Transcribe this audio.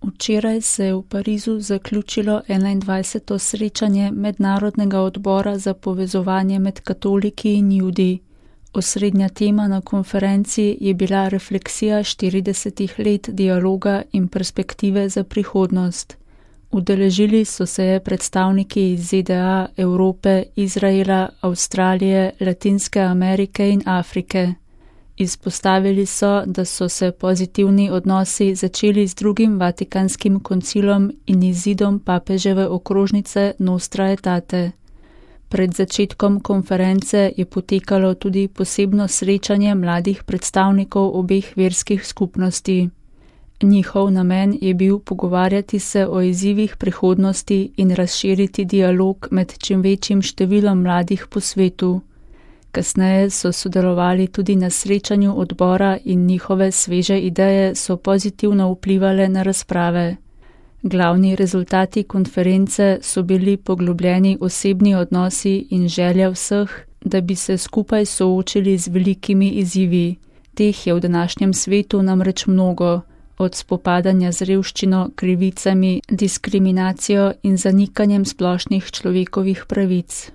Včeraj se je v Parizu zaključilo 21. srečanje Mednarodnega odbora za povezovanje med katoliki in Judi. Osrednja tema na konferenci je bila refleksija 40 let dialoga in perspektive za prihodnost. Udeležili so se predstavniki iz ZDA, Evrope, Izraela, Avstralije, Latinske Amerike in Afrike. Izpostavili so, da so se pozitivni odnosi začeli z drugim Vatikanskim koncilom in izidom papeževe okrožnice Nostra Aetate. Pred začetkom konference je potekalo tudi posebno srečanje mladih predstavnikov obeh verskih skupnosti. Njihov namen je bil pogovarjati se o izzivih prihodnosti in razširiti dialog med čim večjim številom mladih po svetu. Kasneje so sodelovali tudi na srečanju odbora in njihove sveže ideje so pozitivno vplivale na razprave. Glavni rezultati konference so bili poglobljeni osebni odnosi in želja vseh, da bi se skupaj soočili z velikimi izzivi. Teh je v današnjem svetu namreč mnogo, od spopadanja z revščino, krivicami, diskriminacijo in zanikanjem splošnih človekovih pravic.